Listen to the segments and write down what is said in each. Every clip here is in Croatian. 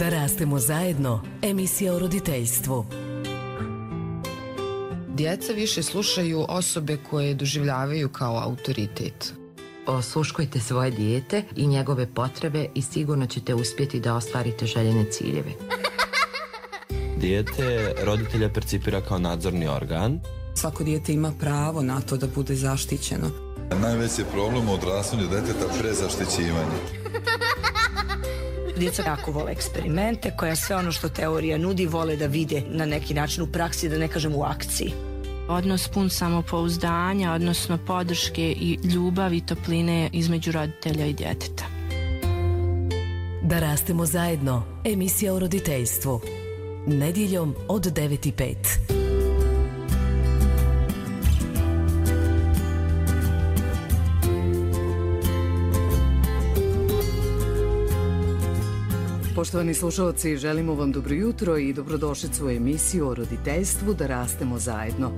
Da rastemo zajedno, emisija o roditeljstvu. Djeca više slušaju osobe koje doživljavaju kao autoritet. Osluškujte svoje dijete i njegove potrebe i sigurno ćete uspjeti da ostvarite željene ciljeve. Dijete roditelja percipira kao nadzorni organ. Svako dijete ima pravo na to da bude zaštićeno. Najveći je problem u odrastanju djeteta prezaštićivanje. Djeca jako vole eksperimente, koja sve ono što teorija nudi vole da vide na neki način u praksi, da ne kažem u akciji. Odnos pun samopouzdanja, odnosno podrške i ljubavi i topline između roditelja i djeteta. Da rastemo zajedno, emisija o roditeljstvu. Nedjeljom od 9:05. Poštovani slušalci, želimo vam dobro jutro i dobrodošlicu u emisiju o roditeljstvu Da rastemo zajedno.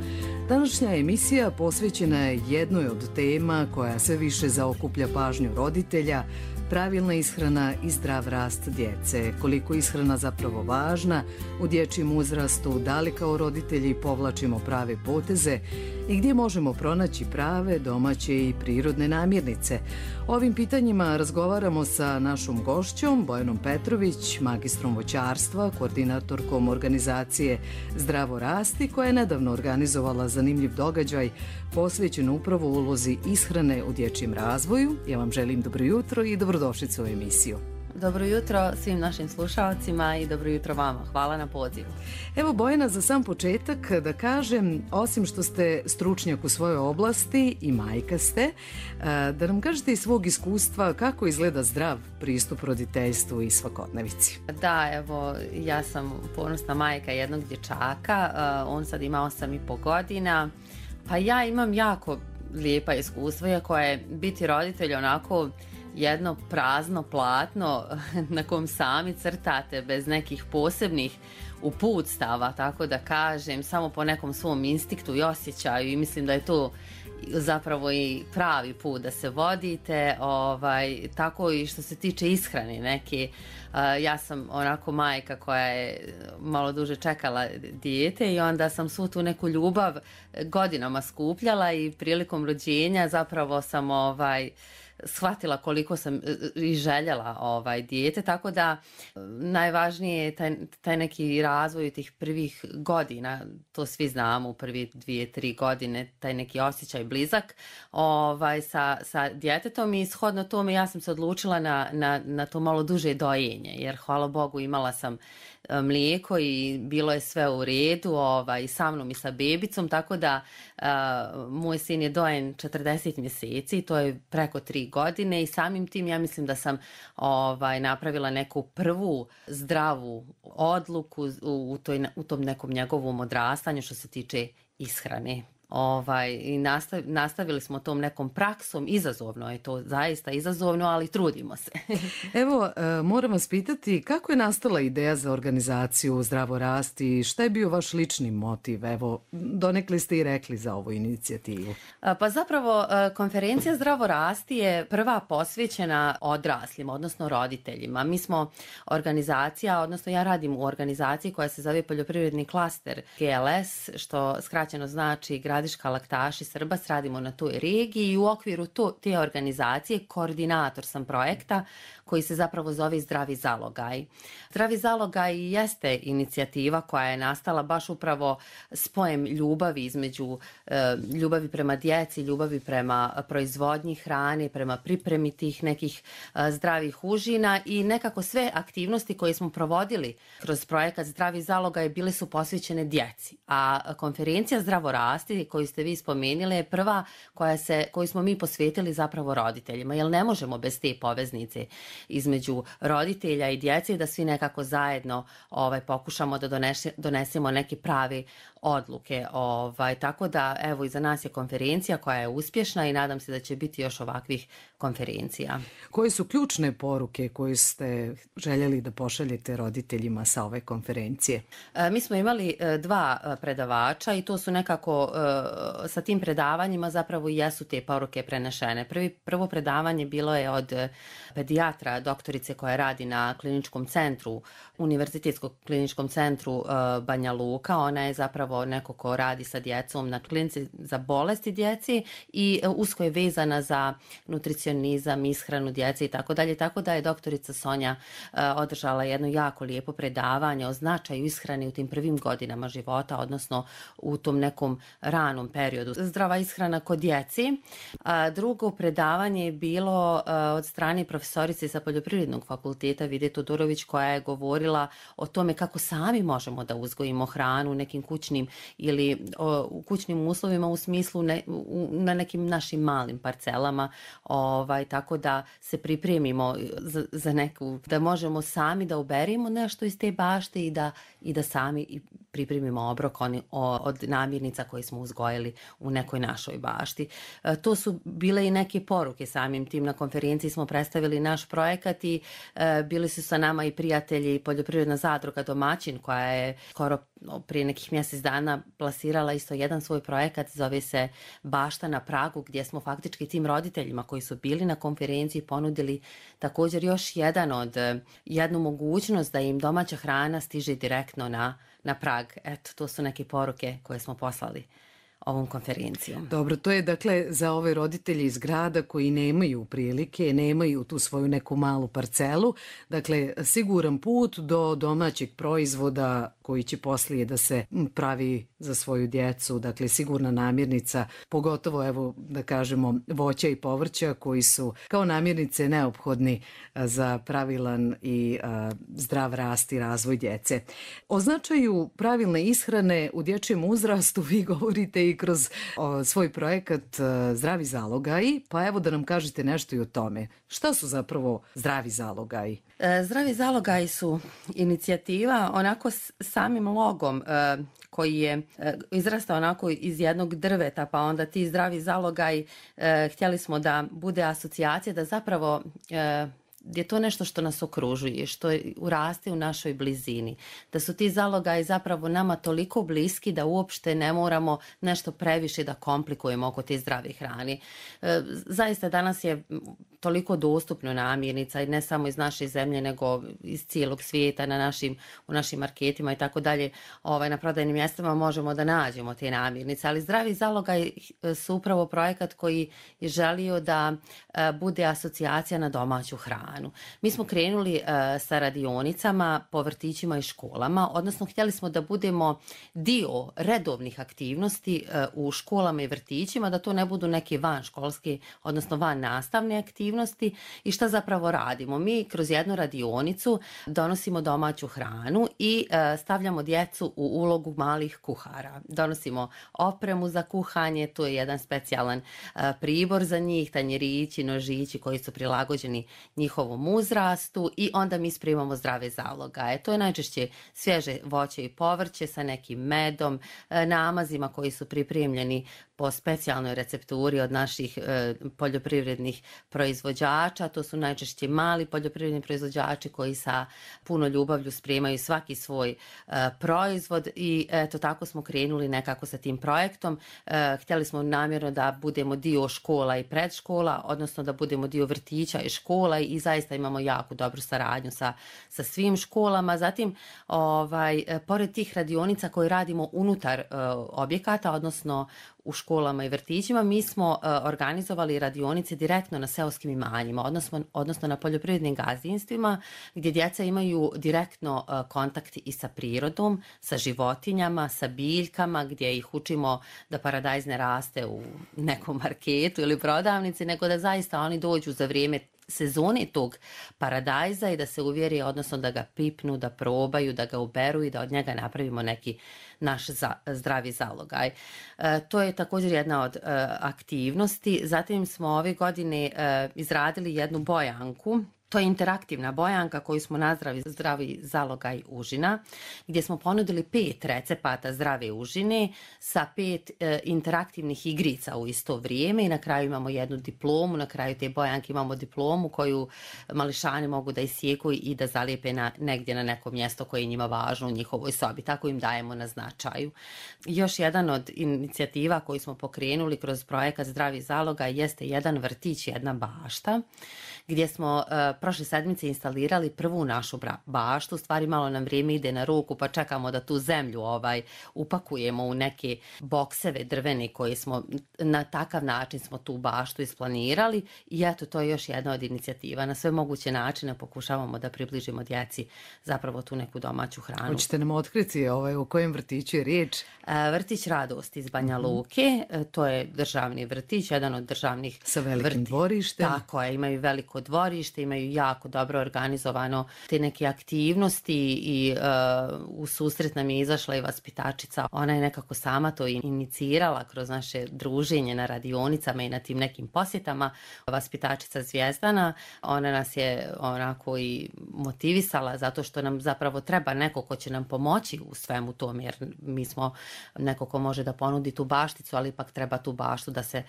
Današnja emisija posvećena je jednoj od tema koja sve više zaokuplja pažnju roditelja, pravilna ishrana i zdrav rast djece. Koliko je ishrana zapravo važna u dječjem uzrastu, da li kao roditelji povlačimo prave poteze i gdje možemo pronaći prave, domaće i prirodne namirnice. O ovim pitanjima razgovaramo sa našom gošćom Bojanom Petrović, magistrom voćarstva, koordinatorkom organizacije Zdravo rasti, koja je nedavno organizovala zanimljiv događaj posvećen upravo ulozi ishrane u dječjem razvoju. Ja vam želim dobro jutro i dobrodošlicu u emisiju. Dobro jutro svim našim slušalcima i dobro jutro vama. Hvala na pozivu. Evo Bojana, za sam početak da kažem, osim što ste stručnjak u svojoj oblasti i majka ste, da nam kažete iz svog iskustva kako izgleda zdrav pristup roditeljstvu i svakodnevici. Da, evo, ja sam ponosna majka jednog dječaka, on sad ima 8,5 godina, pa ja imam jako lijepa iskustva, iako je biti roditelj onako jedno prazno platno na kom sami crtate bez nekih posebnih uputstava, tako da kažem, samo po nekom svom instinktu i osjećaju, i mislim da je to zapravo i pravi put da se vodite, tako i što se tiče ishrane neke. Ja sam onako majka koja je malo duže čekala dijete i onda sam svu tu neku ljubav godinama skupljala i prilikom rođenja zapravo sam shvatila koliko sam i željela dijete, tako da najvažnije je taj neki razvoj tih prvih godina, to svi znamo, u prvi 2-3 godine, taj neki osjećaj blizak sa djetetom, i shodno tome ja sam se odlučila na to malo duže dojenje, jer hvala Bogu imala sam mlijeko i bilo je sve u redu i sa mnom i sa bebicom, tako da moj sin je dojen 40 mjeseci, to je preko 3 godine, i samim tim ja mislim da sam napravila neku prvu zdravu odluku u tom nekom njegovom odrastanju što se tiče ishrane. I nastavili smo tom nekom praksom. Izazovno je to, zaista izazovno, ali trudimo se. Evo, moram vas pitati kako je nastala ideja za organizaciju Zdravo rasti i šta je bio vaš lični motiv? Evo, donekle ste i rekli za ovu inicijativu. Pa zapravo konferencija Zdravo rasti je prva posvećena odraslima, odnosno roditeljima. Mi smo organizacija, odnosno ja radim u organizaciji koja se zove Poljoprivredni klaster GLS, što skraćeno znači Gradiška laktaši Srbas, radimo na toj regiji, i u okviru te organizacije koordinator sam projekta koji se zapravo zove Zdravi zalogaj. Zdravi zalogaj jeste inicijativa koja je nastala baš upravo spojem ljubavi između ljubavi prema djeci, ljubavi prema proizvodnji hrane, prema pripremi tih nekih zdravih užina, i nekako sve aktivnosti koje smo provodili kroz projekat Zdravi zalogaj bile su posvećene djeci. A konferencija Zdravo rasti koju ste vi spomenuli je prva koju smo mi posvetili zapravo roditeljima, jer ne možemo bez te poveznice između roditelja i djece da svi nekako zajedno pokušamo da donesemo neke prave odluke. Tako da, evo, iza nas je konferencija koja je uspješna i nadam se da će biti još ovakvih konferencija. Koje su ključne poruke koje ste željeli da pošaljete roditeljima sa ove konferencije? Mi smo imali 2 predavača i to su nekako sa tim predavanjima zapravo i jesu te poruke prenešene. Prvo predavanje bilo je od pedijatra, doktorice koja radi na kliničkom centru, Univerzitetskom kliničkom centru Banja Luka. Ona je zapravo neko ko radi sa djecom na klinici za bolesti djeci i usko je vezana za nutricionizam, ishranu djece i tako dalje. Tako da je doktorica Sonja održala jedno jako lijepo predavanje o značaju ishrane u tim prvim godinama života, odnosno u tom nekom ranom periodu. Zdrava ishrana kod djeci. Drugo predavanje je bilo od strane profesorice sa Poljoprivrednog fakulteta Vide Todorović, koja je govorila o tome kako sami možemo da uzgojimo hranu u nekim kućnim ili u kućnim uslovima, u smislu na nekim našim malim parcelama, tako da se pripremimo za neku, da možemo sami da uberimo nešto iz te bašte i da sami pripremimo obrok od namirnica koje smo uzgojili u nekoj našoj bašti. To su bile i neke poruke samim tim. Na konferenciji smo predstavili naš projekat i bili su sa nama i prijatelji Poljoprivredna zadruga Domaćin, koja je skoro prije nekih mjesec dana plasirala isto jedan svoj projekat, zove se Bašta na pragu, gdje smo faktički tim roditeljima koji su bili na konferenciji ponudili također još jednu mogućnost da im domaća hrana stiže direktno na prag. Eto, to su neke poruke koje smo poslali ovom konferencijom. Dobro, to je dakle za ove roditelje iz grada koji nemaju prilike, nemaju tu svoju neku malu parcelu, dakle siguran put do domaćeg proizvoda koji će poslije da se pravi za svoju djecu, dakle sigurna namirnica, pogotovo evo da kažemo voća i povrća koji su kao namirnice neophodni za pravilan i zdrav rast i razvoj djece. O značaju pravilne ishrane u dječjem uzrastu vi govorite i kroz svoj projekat Zdravi zalogaji, pa evo da nam kažete nešto i o tome. Šta su zapravo zdravi zalogaji? Zdravi zalogaji su inicijativa onako samim logom koji je izrastao onako iz jednog drveta, pa onda ti zdravi zalogaji htjeli smo da bude asocijacija, da zapravo je to nešto što nas okružuje, što uraste u našoj blizini. Da su ti zalogaji zapravo nama toliko bliski da uopšte ne moramo nešto previše da komplikujemo oko te zdrave hrane. Zaista danas je toliko dostupno namirnica i ne samo iz naše zemlje nego iz cijelog svijeta u našim marketima i tako dalje. Na prodajnim mjestima možemo da nađemo te namirnice, ali zdravi zalogaj su upravo projekat koji je želio da bude asocijacija na domaću hranu. Mi smo krenuli sa radionicama po vrtićima i školama, odnosno htjeli smo da budemo dio redovnih aktivnosti u školama i vrtićima, da to ne budu neke vanškolske, odnosno van nastavne aktivnosti. I šta zapravo radimo? Mi kroz jednu radionicu donosimo domaću hranu i stavljamo djecu u ulogu malih kuhara. Donosimo opremu za kuhanje, to je jedan specijalan pribor za njih, tanjirići, nožići koji su prilagođeni njihovom uzrastu i onda mi spremamo zdrave zalogaje. To je najčešće svježe voće i povrće sa nekim medom, namazima koji su pripremljeni po specijalnoj recepturi od naših poljoprivrednih proizvođača. To su najčešće mali poljoprivredni proizvođači koji sa puno ljubavlju spremaju svaki svoj proizvod i eto tako smo krenuli nekako sa tim projektom. Htjeli smo namjerno da budemo dio škola i predškola, odnosno da budemo dio vrtića i škola i zaista imamo jako dobru saradnju sa svim školama. Zatim, pored tih radionica koje radimo unutar objekata, odnosno u školama i vrtićima, mi smo organizovali radionice direktno na seoskim imanjima, odnosno na poljoprivrednim gazdinstvima gdje djeca imaju direktno kontakt i sa prirodom, sa životinjama, sa biljkama, gdje ih učimo da paradajz ne raste u nekom marketu ili prodavnici, nego da zaista oni dođu za vrijeme sezone tog paradajza i da se uvjeri, odnosno da ga pipnu, da probaju, da ga uberu i da od njega napravimo neki naš zdravi zalogaj. To je također jedna od aktivnosti. Zatim smo ove godine izradili jednu bojanku To je interaktivna bojanka koju smo nazvali zdravi zalogaj užina, gdje smo ponudili 5 recepata zdrave užine sa 5 interaktivnih igrica u isto vrijeme i na kraju imamo jednu diplomu, na kraju te bojanke imamo diplomu koju mališani mogu da isjeku i da zalijepe negdje na neko mjesto koje je njima važno u njihovoj sobi, tako im dajemo na značaju. Još jedan od inicijativa koju smo pokrenuli kroz projekat Zdravi zalogaj jeste jedan vrtić, jedna bašta, gdje smo prošle sedmice instalirali prvu našu baštu. U stvari malo nam vrijeme ide na ruku pa čekamo da tu zemlju upakujemo u neke bokseve drvene koje smo, na takav način smo tu baštu isplanirali i eto to je još jedna od inicijativa. Na sve moguće načine pokušavamo da približimo djeci zapravo tu neku domaću hranu. Hoćete nam otkriti o kojem vrtiću je riječ? Vrtić Radost iz Banja Luke, to je državni vrtić, jedan od državnih sa velikim dvorištem. Tako je, imaju veliko dvorište, imaju jako dobro organizovano te neke aktivnosti i u susret nam je izašla i vaspitačica. Ona je nekako sama to inicirala kroz naše druženje na radionicama i na tim nekim posjetama. Vaspitačica Zvijezdana, ona nas je onako i motivisala zato što nam zapravo treba neko ko će nam pomoći u svemu tom, jer mi smo neko ko može da ponudi tu bašticu, ali ipak treba tu baštu da se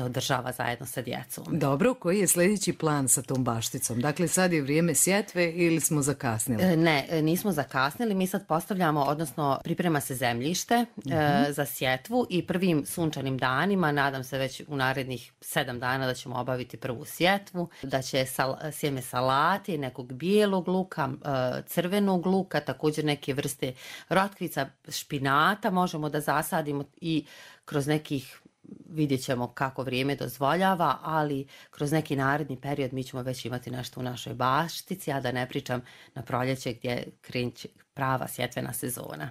održava zajedno sa djecom. Dobro, koji je sljedeći plan sa tom bašticom? Dakle, sad je vrijeme sjetve ili smo zakasnili? Ne, nismo zakasnili. Mi sad postavljamo, odnosno priprema se zemljište za sjetvu i prvim sunčanim danima, nadam se već u narednih 7 dana da ćemo obaviti prvu sjetvu, da će sjeme salati, nekog bijelog luka, crvenog luka, također neke vrste rotkvica, špinata možemo da zasadimo i kroz nekih, vidjet ćemo kako vrijeme dozvoljava, ali kroz neki naredni period mi ćemo već imati nešto u našoj baštici, a da ne pričam na proljeće gdje kreće prava sjetvena sezona.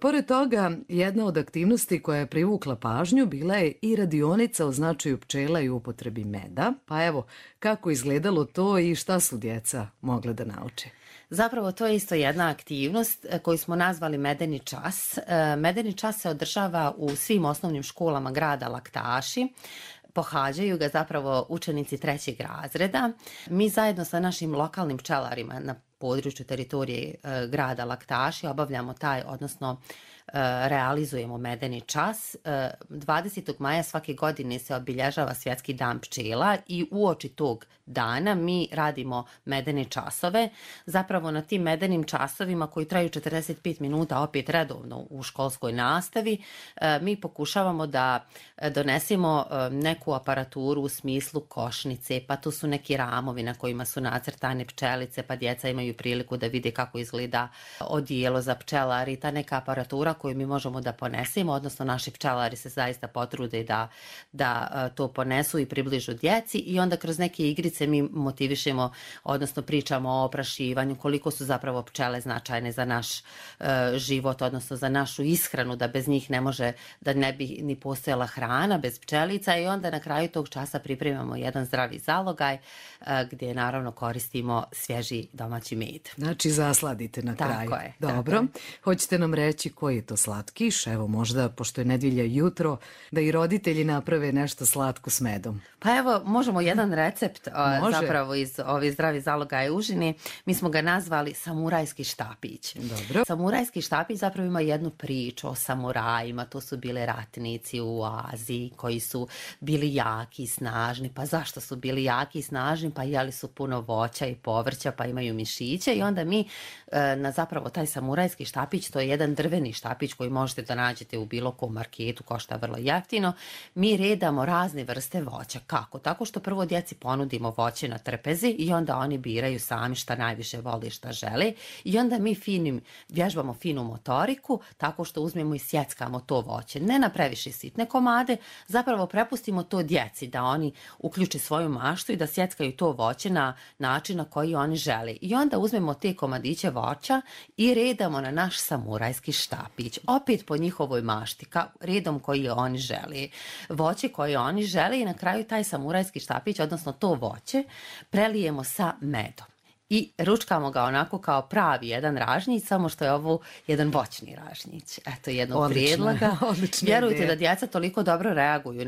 Pored toga, jedna od aktivnosti koja je privukla pažnju bila je i radionica o značaju pčela i upotrebi meda. Pa evo, kako izgledalo to i šta su djeca mogle da nauče? Zapravo to je isto jedna aktivnost koju smo nazvali Medeni čas. Medeni čas se održava u svim osnovnim školama grada Laktaši. Pohađaju ga zapravo učenici 3. razreda. Mi zajedno sa našim lokalnim pčelarima na području teritorije grada Laktaši obavljamo odnosno realizujemo Medeni čas. 20. maja svake godine se obilježava Svjetski dan pčela i uoči tog dana mi radimo medene časove. Zapravo na tim medenim časovima koji traju 45 minuta opet redovno u školskoj nastavi, mi pokušavamo da donesemo neku aparaturu u smislu košnice, pa tu su neki ramovi na kojima su nacrtane pčelice, pa djeca imaju priliku da vide kako izgleda odijelo za pčelari, ta neka aparatura koju mi možemo da ponesemo, odnosno naši pčelari se zaista potrude da to ponesu i približu djeci i onda kroz neke igrice mi motivišemo, odnosno pričamo o oprašivanju, koliko su zapravo pčele značajne za naš život, odnosno za našu ishranu, da bez njih ne može, da ne bi ni postojala hrana bez pčelica i onda na kraju tog časa pripremamo jedan zdravi zalogaj gdje naravno koristimo svježi domaći med. Znači zasladite na kraju. Tako je. Dobro. Hoćete nam reći koji je to slatkiš? Evo možda, pošto je nedjelja jutro, da i roditelji naprave nešto slatko s medom. Pa evo, možemo jedan recept zapravo iz ove zdravi zalogaje užine. Mi smo ga nazvali samurajski štapić. Dobro. Samurajski štapić zapravo ima jednu priču o samurajima. To su bile ratnici u Aziji koji su bili jaki i snažni. Pa zašto su bili jaki i snažni? Pa jeli su puno voća i povrća, pa imaju mišiće i onda mi na zapravo taj samurajski štapić, to je jedan drveni štapić koji možete da nađete u bilo kom marketu, košta vrlo jeftino. Mi redamo razne vrste voća. Kako? Tako što prvo djeci ponudimo voće na trpezi i onda oni biraju sami šta najviše vole, šta žele i onda mi vježbamo finu motoriku tako što uzmemo i sjeckamo to voće. Ne na previše sitne komade, zapravo prepustimo to djeci da oni uključe svoju maštu i da sjeckaju to voće na način na koji oni žele. I onda uzmemo te komadiće voća i redamo na naš samurajski štapić. Opet po njihovoj mašti, redom koji oni žele. Voće koje oni žele i na kraju taj samurajski štapić, odnosno to voće, prelijemo sa medom. i ručkamo ga onako kao pravi jedan ražnjić, samo što je ovo jedan voćni ražnjić. Eto, jednog prijedloga. Vjerujte da djeca toliko dobro reaguju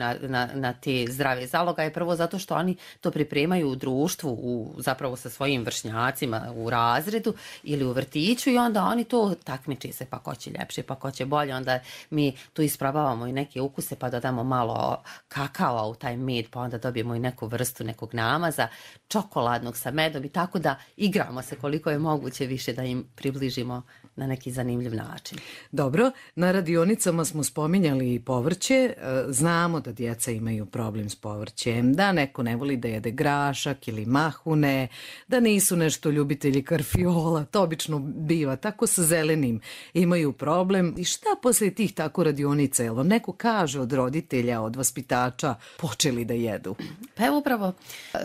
na te zdrave zalogaje, prvo zato što oni to pripremaju u društvu, zapravo sa svojim vršnjacima u razredu ili u vrtiću i onda oni to takmiči se pa ko će ljepše, pa ko će bolje, onda mi tu isprobavamo i neke ukuse pa dodamo malo kakao u taj med, pa onda dobijemo i neku vrstu nekog namaza, čokoladnog sa medom i tako da igramo se koliko je moguće više da im približimo na neki zanimljiv način. Dobro, na radionicama smo spominjali i povrće. Znamo da djeca imaju problem s povrćem, da neko ne voli da jede grašak ili mahune, da nisu nešto ljubitelji karfiola, to obično biva, tako sa zelenim imaju problem. I šta poslije tih tako radionica, jel vam neko kaže od roditelja, od vaspitača, počeli da jedu? Pa evo upravo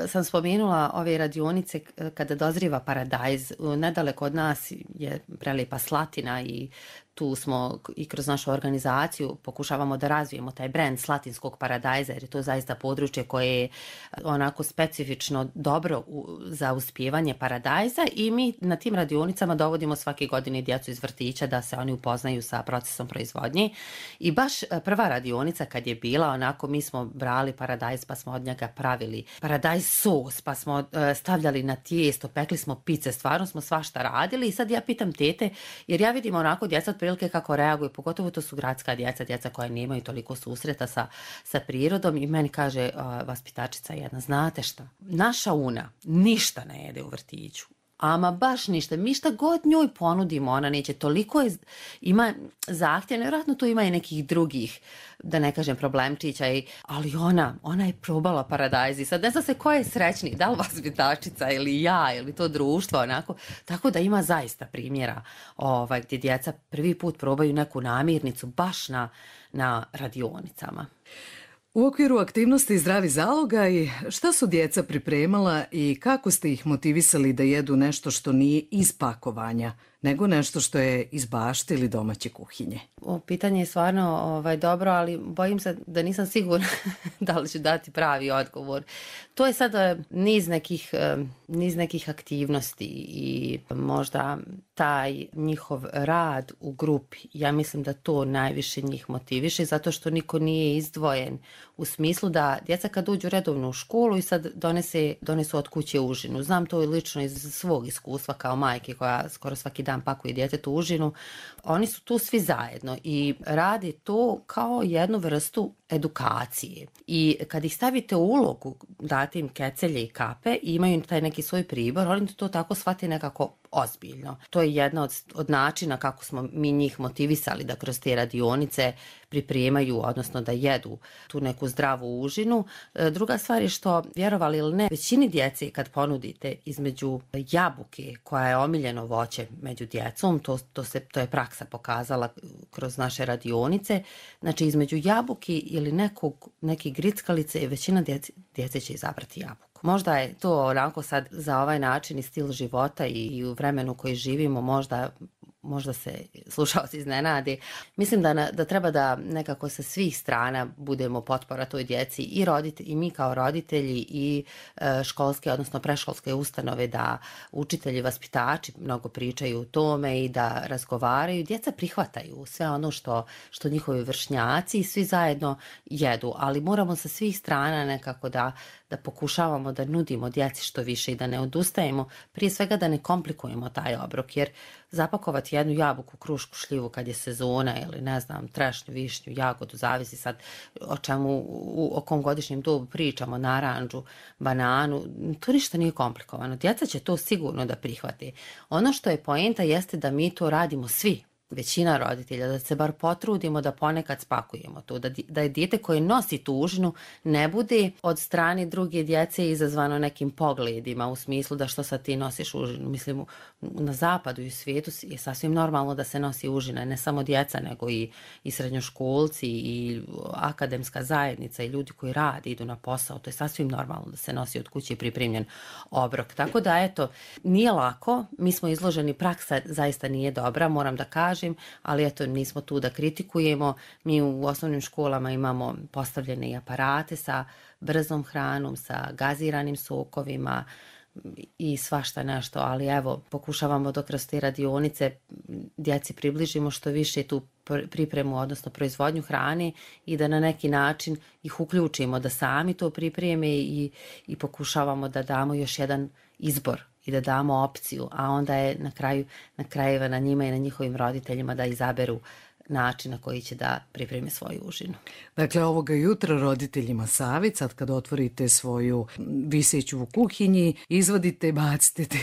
sam spomenula ove radionice kada dozriva paradajz. Nedaleko od nas je prelijepa Slatina i tu smo i kroz našu organizaciju pokušavamo da razvijemo taj brend slatinskog paradajza jer je to zaista područje koje je onako specifično dobro za uspijevanje paradajza i mi na tim radionicama dovodimo svake godine djecu iz vrtića da se oni upoznaju sa procesom proizvodnje i baš prva radionica kad je bila onako mi smo brali paradajz pa smo od njega pravili paradajz sos pa smo stavljali na tijesto, pekli smo pice, stvarno smo svašta radili i sad ja pitam tete jer ja vidim onako djeca prilike kako reaguju, pogotovo to su gradska djeca koja nemaju toliko susreta sa prirodom i meni kaže vaspitačica jedna, znate šta, naša Una ništa ne jede u vrtiću. Ama baš ništa. Mi šta god njoj ponudimo, ona neće. Toliko ima zahtjeva, nevjerojatno tu ima i nekih drugih, da ne kažem problemčića, ali ona je probala paradajz i sad ne zna se ko je srećniji, da li vaspitačica ili ja ili to društvo, onako. Tako da ima zaista primjera gdje djeca prvi put probaju neku namirnicu baš na radionicama. U okviru aktivnosti Zdravi zalogaj, šta su djeca pripremala i kako ste ih motivisali da jedu nešto što nije iz pakovanja, nego nešto što je iz bašte ili domaće kuhinje? Pitanje je stvarno dobro, ali bojim se da nisam sigurna da li ću dati pravi odgovor. To je sad niz nekih aktivnosti i možda taj njihov rad u grupi. Ja mislim da to najviše njih motiviše zato što niko nije izdvojen u smislu da djeca kad uđu redovno u školu i sad donesu od kuće užinu. Znam to i lično iz svog iskustva kao majke koja skoro svaki dan pakuje djetetu užinu. Oni su tu svi zajedno i rade to kao jednu vrstu edukacije. I kad ih stavite u ulogu, date im kecelje i kape i imaju taj neki svoj pribor, oni to tako shvate nekako ozbiljno. To je jedna od načina kako smo mi njih motivisali da kroz te radionice pripremaju, odnosno da jedu tu neku zdravu užinu. Druga stvar je što, vjerovali ili ne, većini djece kad ponudite između jabuke, koja je omiljeno voće među djecom, to je praksa pokazala kroz naše radionice, znači između jabuke ili neke grickalice, većina djece će izabrati jabuku. Možda je to onako sad za ovaj način i stil života i u vremenu koji živimo možda se slušalci iznenade. Mislim da treba da nekako sa svih strana budemo potpora toj djeci i mi kao roditelji i školske, odnosno preškolske ustanove, da učitelji, vaspitači mnogo pričaju o tome i da razgovaraju. Djeca prihvataju sve ono što njihovi vršnjaci i svi zajedno jedu, ali moramo sa svih strana nekako da pokušavamo da nudimo djeci što više i da ne odustajemo, prije svega da ne komplikujemo taj obrok, jer zapakovati jednu jabuku, krušku, šljivu kad je sezona ili ne znam, trešnju, višnju, jagodu, zavisi sad o kom godišnjem dobu pričamo, naranđu, bananu, to ništa nije komplikovano. Djeca će to sigurno da prihvate. Ono što je poenta jeste da mi to radimo svi. Većina roditelja, da se bar potrudimo da ponekad spakujemo to, da je dijete koje nosi tu užinu ne bude od strane druge djece izazvano nekim pogledima u smislu da što sad ti nosiš užinu. Mislim, na zapadu i u svijetu je sasvim normalno da se nosi užina, ne samo djeca, nego i srednjoškolci i akademska zajednica i ljudi koji rade, idu na posao. To je sasvim normalno da se nosi od kuće pripremljen obrok. Tako da, eto, nije lako, mi smo izloženi, praksa zaista nije dobra, moram da kažem, ali eto, nismo tu da kritikujemo. Mi u osnovnim školama imamo postavljene i aparate sa brzom hranom, sa gaziranim sokovima, i svašta nešto, ali evo, pokušavamo da kroz te radionice djeci približimo što više tu pripremu, odnosno proizvodnju hrane i da na neki način ih uključimo da sami to pripreme i pokušavamo da damo još jedan izbor i da damo opciju, a onda je na krajeva na njima i na njihovim roditeljima da izaberu način na koji će da pripremi svoju užinu. Dakle, ovoga jutra roditeljima savjet, sad kad otvorite svoju viseću u kuhinji, izvadite, bacite te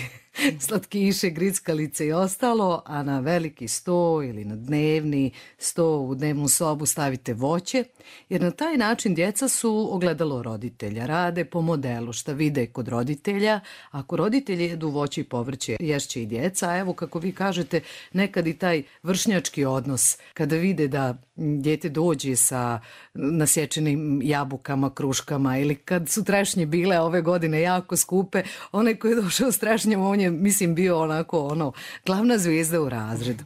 slatkiše, grickalice i ostalo, a na veliki sto ili na dnevni sto u dnevnu sobu stavite voće, jer na taj način djeca su ogledalo roditelja, rade po modelu šta vide kod roditelja. Ako roditelji jedu voće i povrće, ješće i djeca, a evo kako vi kažete, nekad i taj vršnjački odnos, kada vide da dijete dođe sa nasječenim jabukama, kruškama, ili kad su trešnje bile ove godine jako skupe, onaj koji je došao s trešnjama, on je, mislim, bio onako glavna zvijezda u razredu.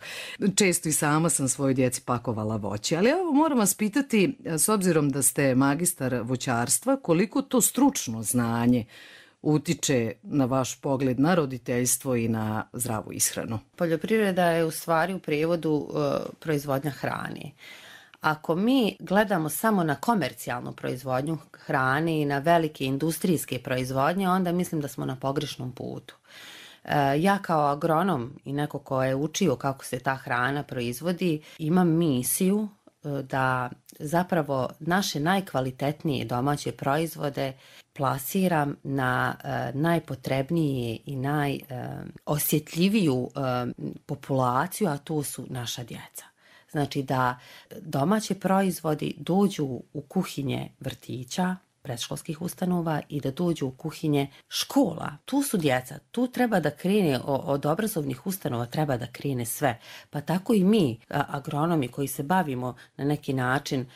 Često i sama sam svojoj djeci pakovala voće, ali evo moram vas pitati, s obzirom da ste magistar voćarstva, koliko to stručno znanje utiče na vaš pogled na roditeljstvo i na zdravu ishranu? Poljoprivreda je u stvari u prijevodu proizvodnja hrane. Ako mi gledamo samo na komercijalnu proizvodnju hrane i na velike industrijske proizvodnje, onda mislim da smo na pogrešnom putu. Ja kao agronom i neko ko je učio kako se ta hrana proizvodi, imam misiju da zapravo naše najkvalitetnije domaće proizvode plasiram na najpotrebnije i najosjetljiviju populaciju, a to su naša djeca. Znači da domaći proizvodi dođu u kuhinje vrtića, predškolskih ustanova i da dođu u kuhinje škola. Tu su djeca, tu treba da krene od obrazovnih ustanova, treba da krene sve. Pa tako i mi, agronomi koji se bavimo na neki način,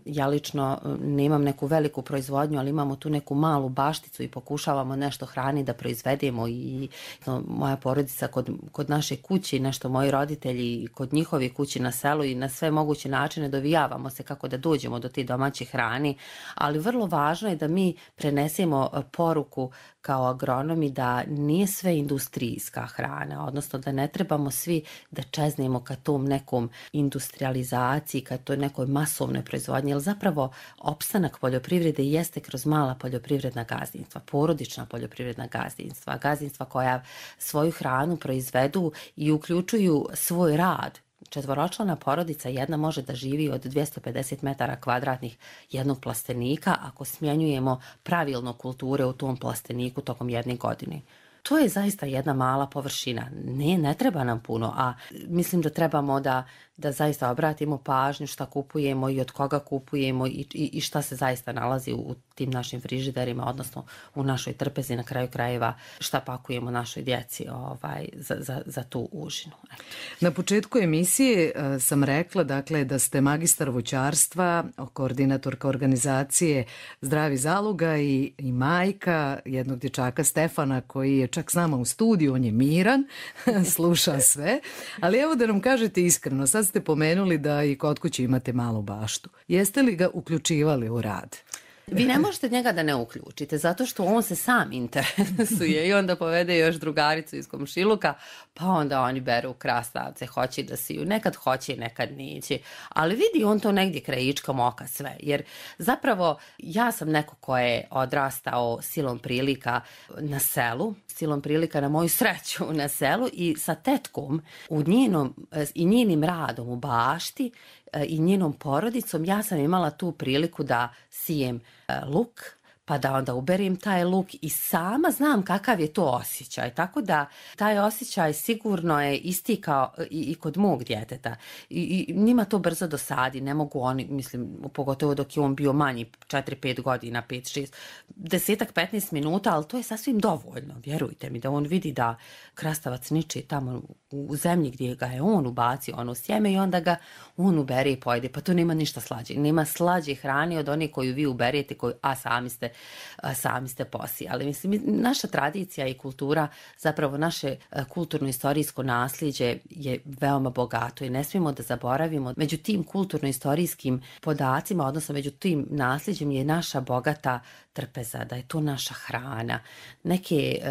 ja lično nemam neku veliku proizvodnju, ali imamo tu neku malu bašticu i pokušavamo nešto hrani da proizvedemo i moja porodica kod naše kući, nešto moji roditelji kod njihovi kući na selu i na sve moguće načine dovijavamo se kako da dođemo do te domaće hrane, ali vrlo važno je da mi prenesemo poruku kao agronomi da nije sve industrijska hrana, odnosno da ne trebamo svi da čeznemo ka tom nekom industrializaciji, ka toj nekoj masovnoj proizvodnji, jer zapravo opstanak poljoprivrede jeste kroz mala poljoprivredna gazdinstva, porodična poljoprivredna gazdinstva koja svoju hranu proizvedu i uključuju svoj rad. Četvoročlana porodica jedna može da živi od 250 metara kvadratnih jednog plastenika ako smjenjujemo pravilno kulture u tom plasteniku tokom jedne godine. To je zaista jedna mala površina. Ne treba nam puno, a mislim da trebamo da zaista obratimo pažnju šta kupujemo i od koga kupujemo i šta se zaista nalazi u tim našim frižiderima, odnosno u našoj trpezi, na kraju krajeva šta pakujemo našoj djeci za tu užinu. Na početku emisije sam rekla, dakle, da ste magistar voćarstva, koordinatorka organizacije Zdravi zaloga i majka jednog dječaka Stefana koji je čak s nama u studiju, on je miran, sluša sve, ali evo da nam kažete iskreno, sad ste pomenuli da i kod kuće imate malu baštu. Jeste li ga uključivali u rad? Vi ne možete njega da ne uključite, zato što on se sam interesuje i onda povede još drugaricu iz komšiluka, pa onda oni beru krastavce, hoće da siju. Nekad hoće, nekad neće. Ali vidi on to negdje krajičkom oka sve. Jer zapravo ja sam neko ko je odrastao silom prilika na selu, silom prilika na moju sreću na selu i sa tetkom i njenim radom u bašti i njenom porodicom ja sam imala tu priliku da sijem luk, pa da onda uberim taj luk i sama znam kakav je to osjećaj. Tako da taj osjećaj sigurno je isti kao i kod mog djeteta. I njima to brzo dosadi, ne mogu oni, mislim, pogotovo dok je on bio manji, 4-5 godina, 5-6, 10-15 minuta, ali to je sasvim dovoljno, vjerujte mi, da on vidi da krastavac niče tamo u zemlji gdje ga je on ubacio, ono sjeme i onda ga on ubere i pojede. Pa to nema ništa slađe. Nema slađe hrane od one koju vi uberete, a sami ste sami ste posijali. Mislim, naša tradicija i kultura, zapravo naše kulturno-istorijsko nasljeđe je veoma bogato i ne smijemo da zaboravimo. Među tim kulturno-istorijskim podacima, odnosno među tim nasljeđem je naša bogata trpeza, da je to naša hrana. Neke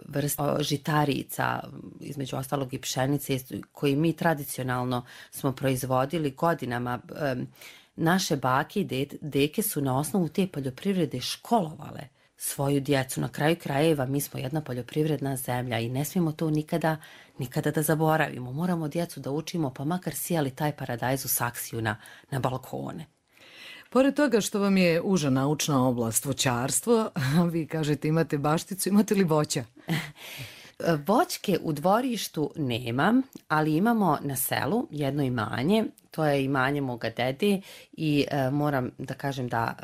vrste žitarica, između ostalog i pšenice, koji mi tradicionalno smo proizvodili godinama. Naše bake i deke su na osnovu te poljoprivrede školovale svoju djecu. Na kraju krajeva mi smo jedna poljoprivredna zemlja i ne smijemo to nikada da zaboravimo. Moramo djecu da učimo, pa makar sijali taj paradajz u saksiju na balkone. Pored toga što vam je uža naučna oblast voćarstvo, vi kažete imate bašticu, imate li voća? Voćke u dvorištu nemam, ali imamo na selu jedno imanje. To je imanje moga dede i moram da kažem da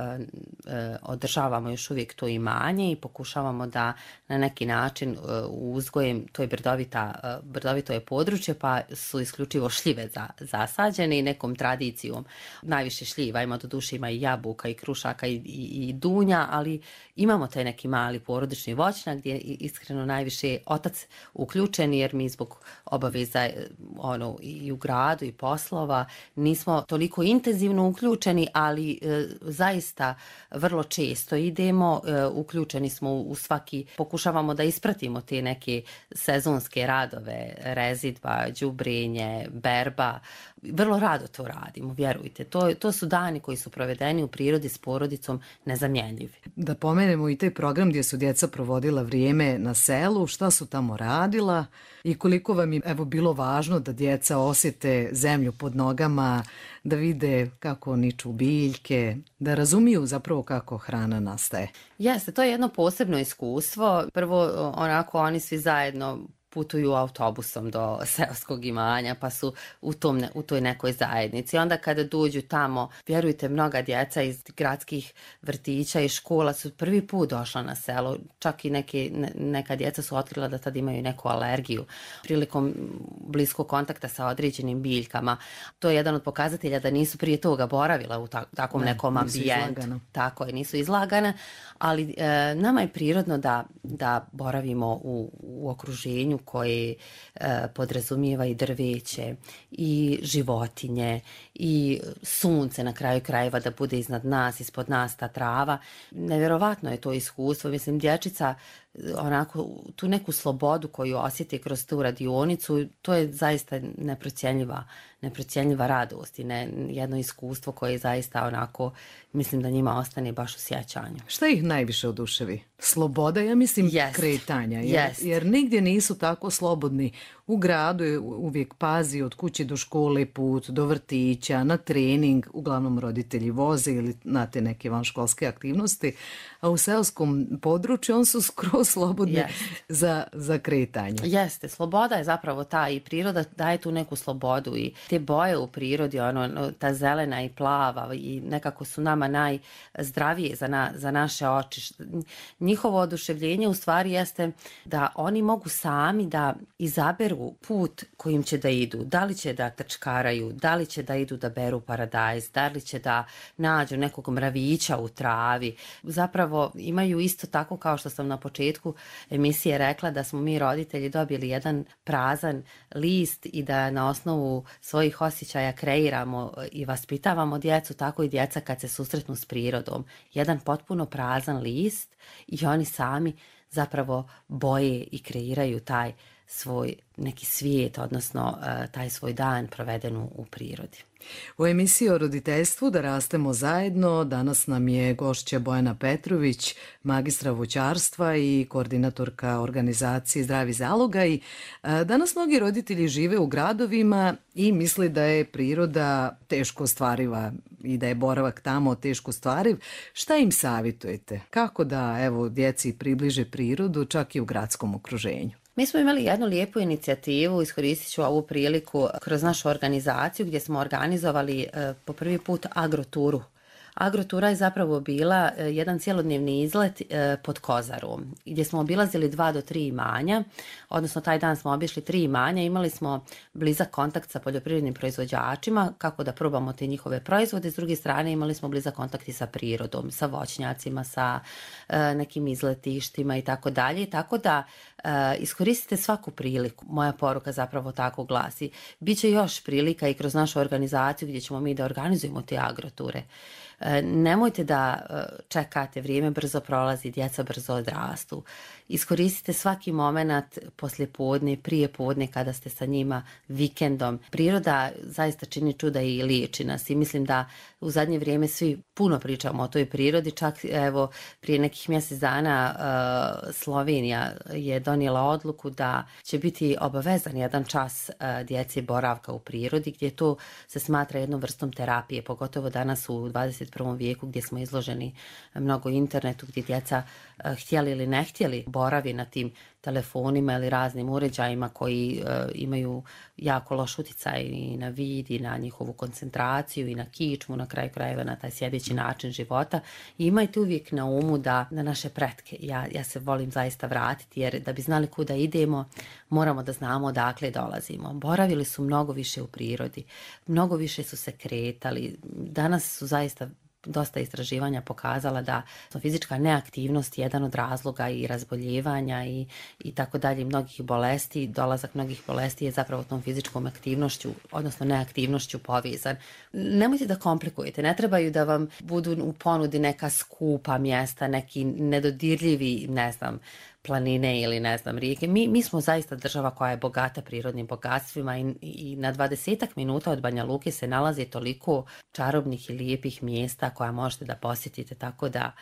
održavamo još uvijek to imanje i pokušavamo da na neki način uzgojem, to je brdovito je područje, pa su isključivo šljive zasađene i nekom tradicijom. Najviše šljiva, ima doduše ima i jabuka i krušaka i dunja, ali imamo taj neki mali porodični voćnjak gdje je iskreno najviše otac uključen, jer mi zbog obaveza i u gradu i poslova nismo toliko intenzivno uključeni, ali zaista vrlo često idemo, uključeni smo u svaki, pokušavamo da ispratimo te neke sezonske radove, rezidba, đubrenje, berba. Vrlo rado to radimo, vjerujte. To su dani koji su provedeni u prirodi s porodicom nezamjenjivi. Da pomenemo i taj program gdje su djeca provodila vrijeme na selu, šta su tamo radila i koliko vam je bilo važno da djeca osjete zemlju pod nogama, da vide kako niču biljke, da razumiju zapravo kako hrana nastaje. Jeste, to je jedno posebno iskustvo. Prvo, oni svi zajedno putuju autobusom do seoskog imanja, pa su u toj nekoj zajednici. Onda kada dođu tamo, vjerujte, mnoga djeca iz gradskih vrtića i škola su prvi put došla na selo. Čak i neka djeca su otkrila da tad imaju neku alergiju prilikom bliskog kontakta sa određenim biljkama. To je jedan od pokazatelja da nisu prije toga boravila u takvom nekom ambijentu. Tako je, nisu izlagana, ali nama je prirodno da boravimo u okruženju koje podrazumijeva i drveće i životinje i sunce na kraju krajeva da bude iznad nas, ispod nas ta trava. Nevjerovatno je to iskustvo. Mislim, dječica tu neku slobodu koju osjeti kroz tu radionicu, to je zaista neprocjenjiva radost i jedno iskustvo koje zaista mislim da njima ostane baš u sjećanju. Šta ih najviše oduševi? Sloboda, ja mislim, kretanja. Jer nigdje nisu tako slobodni. U gradu je uvijek pazi od kuće do škole put, do vrtića, na trening, uglavnom roditelji voze ili na te neke vanškolske aktivnosti, a u seoskom području on su skroz slobodni za kretanje. Jeste, sloboda je zapravo ta i priroda daje tu neku slobodu i te boje u prirodi, ta zelena i plava i nekako su nama najzdravije za naše oči. Njihovo oduševljenje u stvari jeste da oni mogu sami da izaberu put kojim će da idu. Da li će da trčkaraju, da li će da idu da beru paradajz, da li će da nađu nekog mravića u travi. Zapravo imaju isto tako kao što sam na početku emisije rekla da smo mi roditelji dobili jedan prazan list i da na osnovu svojih osjećaja kreiramo i vaspitavamo djecu, tako i djeca kad se susretnu s prirodom. Jedan potpuno prazan list i oni sami zapravo boje i kreiraju taj svoj neki svijet, odnosno taj svoj dan proveden u prirodi. U emisiji o roditeljstvu Da rastemo zajedno danas nam je gošća Bojana Petrović, magistra voćarstva i koordinatorka organizacije Zdravi zaloga. I danas mnogi roditelji žive u gradovima i misle da je priroda teško ostvariva i da je boravak tamo teško ostvariv. Šta im savjetujete? Kako da djeci približe prirodu čak i u gradskom okruženju? Mi smo imali jednu lijepu inicijativu, iskoristit ću ovu priliku kroz našu organizaciju gdje smo organizovali po prvi put agroturu. Agrotura je zapravo bila jedan cjelodnevni izlet pod Kozarom, gdje smo obilazili 2 do 3 imanja, odnosno taj dan smo obišli 3 imanja, imali smo blizak kontakt sa poljoprivrednim proizvođačima, kako da probamo te njihove proizvode, s druge strane imali smo blizak kontakt i sa prirodom, sa voćnjacima, sa nekim izletištima i tako dalje, tako da iskoristite svaku priliku. Moja poruka zapravo tako glasi. Biće još prilika i kroz našu organizaciju gdje ćemo mi da organizujemo te agroture. Nemojte da čekate, vrijeme brzo prolazi, djeca brzo odrastu. Iskoristite svaki moment poslije podne, prije podne kada ste sa njima vikendom. Priroda zaista čini čuda i liječi nas i mislim da u zadnje vrijeme svi puno pričamo o toj prirodi. Čak evo prije nekih mjesec dana Slovenija je donijela odluku da će biti obavezan jedan čas djeci boravka u prirodi, gdje to se smatra jednom vrstom terapije, pogotovo danas u 21. vijeku gdje smo izloženi mnogo internetu, gdje djeca htjeli ili ne htjeli boravi na tim telefonima ili raznim uređajima koji imaju jako loš utjecaj i na vid i na njihovu koncentraciju i na kičmu, na kraju krajeva na taj sjedeći način života. I imajte uvijek na umu da na naše pretke, ja se volim zaista vratiti, jer da bi znali kuda idemo moramo da znamo odakle dolazimo. Boravili su mnogo više u prirodi, mnogo više su se kretali, danas su zaista dosta istraživanja pokazala da fizička neaktivnost je jedan od razloga i razboljevanja i tako dalje, mnogih bolesti. Dolazak mnogih bolesti je zapravo tom fizičkom aktivnošću, odnosno neaktivnošću povezan. Nemojte da komplikujete, ne trebaju da vam budu u ponudi neka skupa mjesta, neki nedodirljivi, planine ili rijeke. Mi smo zaista država koja je bogata prirodnim bogatstvima i na 20 minuta od Banja Luke se nalazi toliko čarobnih i lijepih mjesta koja možete da posjetite, tako da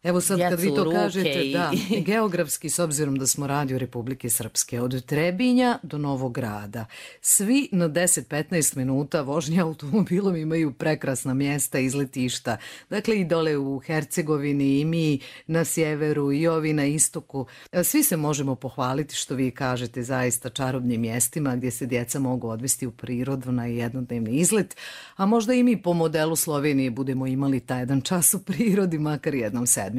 evo sad kad vi to kažete, i... da, geografski, s obzirom da smo radio Republike Srpske, od Trebinja do Novog Grada, svi na 10-15 minuta vožnje automobilom imaju prekrasna mjesta, izletišta. Dakle, i dole u Hercegovini, i mi na sjeveru, i ovi na istoku. Svi se možemo pohvaliti, što vi kažete, zaista čarobnim mjestima gdje se djeca mogu odvesti u prirodu na jednodnevni izlet, a možda i mi po modelu Slovenije budemo imali taj jedan čas u prirodi, makar jednom sedmično.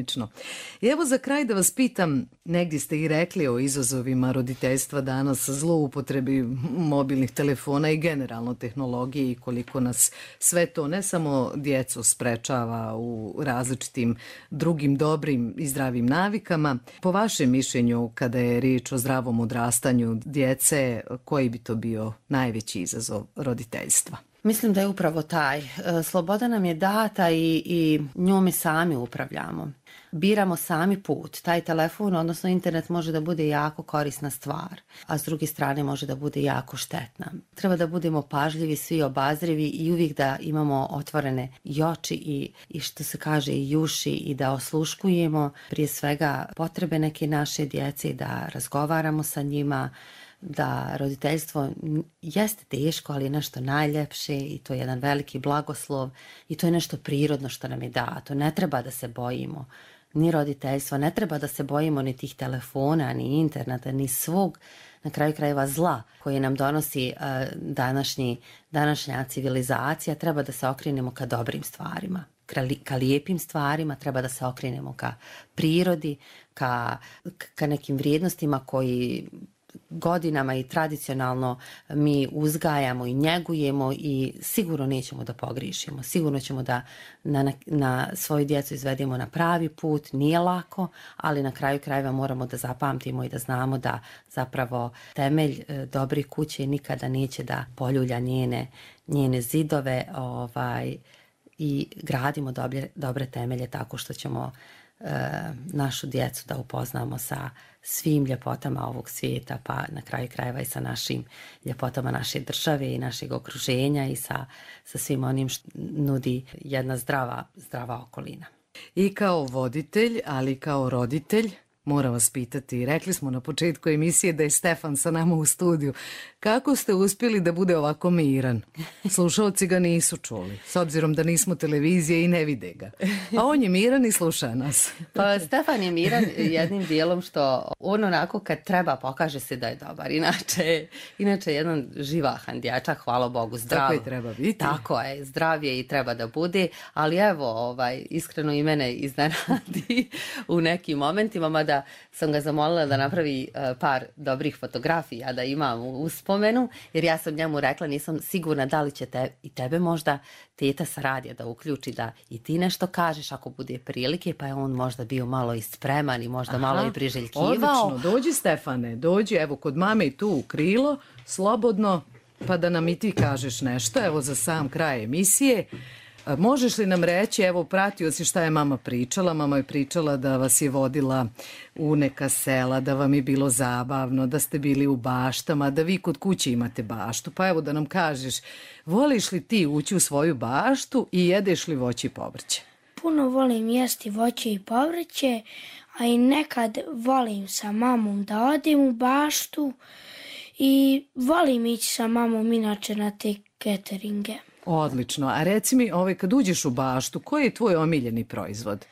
I evo za kraj da vas pitam, negdje ste i rekli o izazovima roditeljstva danas, zloupotrebi mobilnih telefona i generalno tehnologije i koliko nas sve to ne samo djecu sprečava u različitim drugim dobrim i zdravim navikama. Po vašem mišljenju, kada je riječ o zdravom odrastanju djece, koji bi to bio najveći izazov roditeljstva? Mislim da je upravo taj. Sloboda nam je data i njome sami upravljamo. Biramo sami put. Taj telefon, odnosno internet, može da bude jako korisna stvar, a s druge strane može da bude jako štetna. Treba da budemo pažljivi, svi obazrivi i uvijek da imamo otvorene i oči i što se kaže i uši i da osluškujemo prije svega potrebe neke naše djece, da razgovaramo sa njima, da roditeljstvo jeste teško, ali je nešto najljepše i to je jedan veliki blagoslov i to je nešto prirodno što nam je dato. Ne treba da se bojimo ni roditeljstva, ne treba da se bojimo ni tih telefona, ni interneta, ni svog, na kraju krajeva, zla koje nam donosi današnja civilizacija. Treba da se okrenemo ka dobrim stvarima, ka lijepim stvarima, treba da se okrenemo ka prirodi, ka nekim vrijednostima koji godinama i tradicionalno mi uzgajamo i njegujemo i sigurno nećemo da pogriješimo. Sigurno ćemo da na svoju djecu izvedemo na pravi put. Nije lako, ali na kraju krajeva moramo da zapamtimo i da znamo da zapravo temelj dobre kuće nikada neće da poljulja njene zidove i gradimo dobre temelje tako što ćemo našu djecu da upoznamo sa svim ljepotama ovog svijeta, pa na kraju krajeva i sa našim ljepotama naše države i našeg okruženja i sa svim onim što nudi jedna zdrava okolina. I kao voditelj, ali i kao roditelj, moram vas pitati, rekli smo na početku emisije da je Stefan sa nama u studiju. Kako ste uspjeli da bude ovako miran? Slušalci ga nisu čuli, s obzirom da nismo televizije i ne vide ga. A on je miran i sluša nas. Pa Stefan je miran jednim dijelom što on onako kad treba pokaže se da je dobar. Inače jedan živahan dječak, hvala Bogu, zdrav. Tako je treba biti. Tako je, zdrav je i treba da bude, ali evo, iskreno i mene iznenadi u nekim momentima, mada sam ga zamolila da napravi par dobrih fotografija da imam u uspomenu, jer ja sam njemu rekla, nisam sigurna da li će i tebe možda teta sa radija da uključi da i ti nešto kažeš ako bude prilike, pa je on možda bio malo i spreman i možda malo i priželjkivao. Odlično, dođi Stefane, dođi, evo kod mame i tu u krilo, slobodno, pa da nam i ti kažeš nešto, evo za sam kraj emisije. Možeš li nam reći, evo pratio si šta je mama pričala, mama je pričala da vas je vodila u neka sela, da vam je bilo zabavno, da ste bili u baštama, da vi kod kuće imate baštu, pa evo da nam kažeš, voliš li ti ući u svoju baštu i jedeš li voće i povrće? Puno volim jesti voće i povrće, a i nekad volim sa mamom da odim u baštu i volim ići sa mamom inače na te cateringe. Odlično, a reci mi, kad uđeš u baštu, koji je tvoj omiljeni proizvod?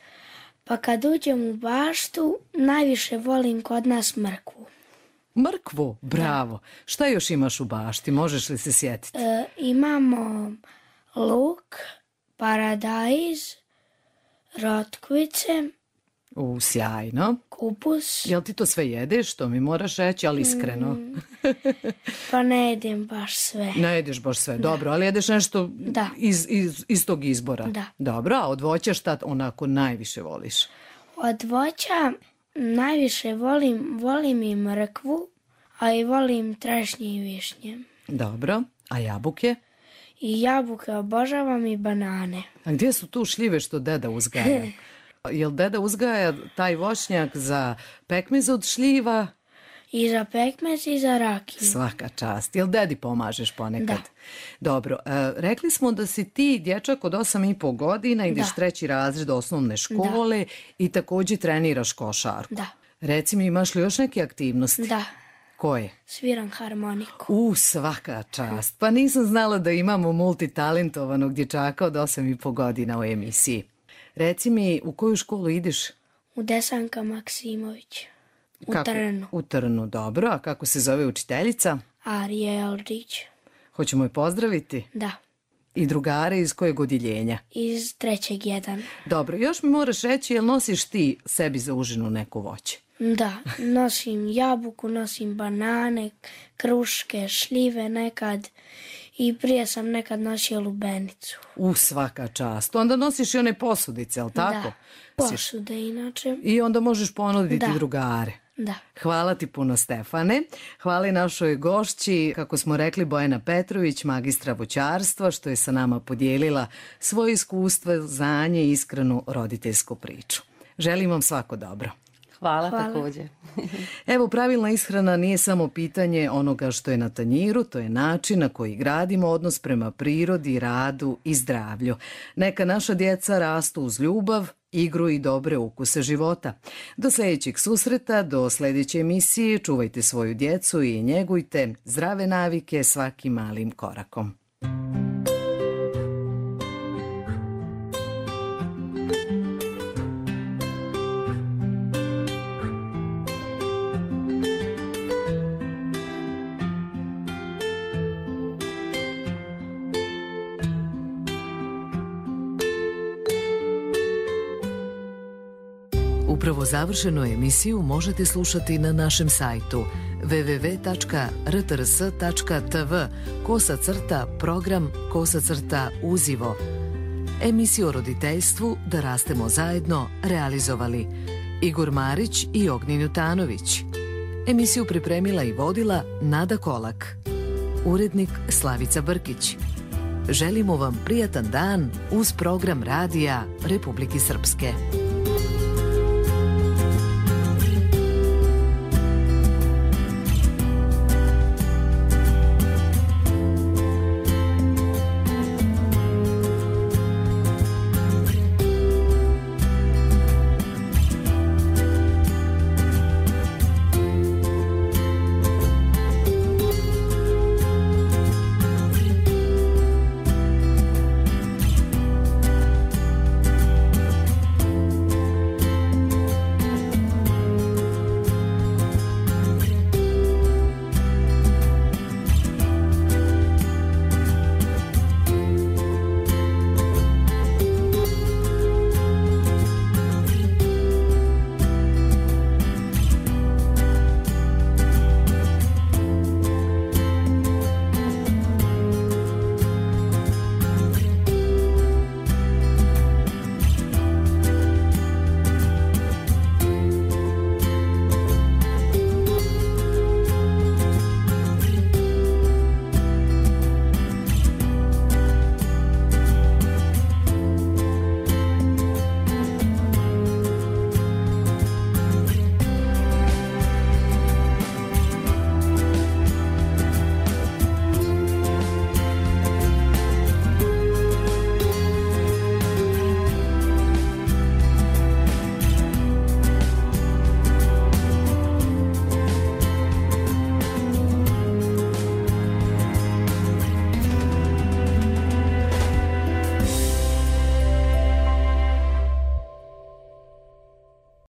Pa kad uđem u baštu, najviše volim kod nas mrkvu. Mrkvu? Bravo. Šta još imaš u bašti? Možeš li se sjetiti? Imamo luk, paradajz, rotkvice. Sjajno. Kupus. Jel ti to sve jedeš? To mi moraš reći, ali iskreno. Pa ne jedem baš sve. Ne jedeš baš sve, dobro, ali jedeš nešto iz tog izbora. Da. Dobro, a od voća šta onako najviše voliš? Od voća najviše volim i mrkvu, a i volim trešnje i višnje. Dobro, a jabuke? I jabuke obožavam i banane. A gdje su tu šljive što deda uzgaja? Jel deda uzgaja taj voćnjak za pekmez od šljiva? I za pekmez i za rakiju. Svaka čast. Jel dedi pomažeš ponekad? Da. Dobro, rekli smo da si ti dječak od 8,5 godina, ideš 3. razred osnovne škole i također treniraš košarku. Da. Reci mi, imaš li još neke aktivnosti? Da. Koje? Sviram harmoniku. Svaka čast. Pa nisam znala da imamo multitalentovanog dječaka od 8,5 godina u emisiji. Reci mi, u koju školu ideš? U Desanka Maksimović. U Trnu. U Trnu, dobro. A kako se zove učiteljica? Arija Eldić. Hoćemo je pozdraviti? Da. I drugare iz kojeg odjeljenja? Iz 3. 1. Dobro, još mi moraš reći, jel nosiš ti sebi za užinu neko voće? Da, nosim jabuku, nosim banane, kruške, šljive nekad i prije sam nekad nosio lubenicu. Svaka čast. Onda nosiš i one posudice, jel tako? Da, posude inače. I onda možeš ponuditi drugare. Da. Hvala ti puno, Stefane. Hvala i našoj gošći, kako smo rekli, Bojana Petrović, magistra voćarstva, što je sa nama podijelila svoje iskustvo, znanje i iskrenu roditeljsku priču. Želim vam svako dobro. Hvala. Također. Evo, pravilna ishrana nije samo pitanje onoga što je na tanjiru, to je način na koji gradimo odnos prema prirodi, radu i zdravlju. Neka naša djeca rastu uz ljubav, igru i dobre ukuse života. Do sljedećeg susreta, do sljedeće emisije, čuvajte svoju djecu i njegujte zdrave navike svakim malim korakom. Upravo završenu emisiju možete slušati na našem sajtu www.rtrs.tv/program/uzivo. Emisiju o roditeljstvu Da rastemo zajedno realizovali Igor Marić i Ognjen Jutanović. Emisiju pripremila i vodila Nada Kolak. Urednik Slavica Brkić. Želimo vam prijatan dan uz program radija Republike Srpske.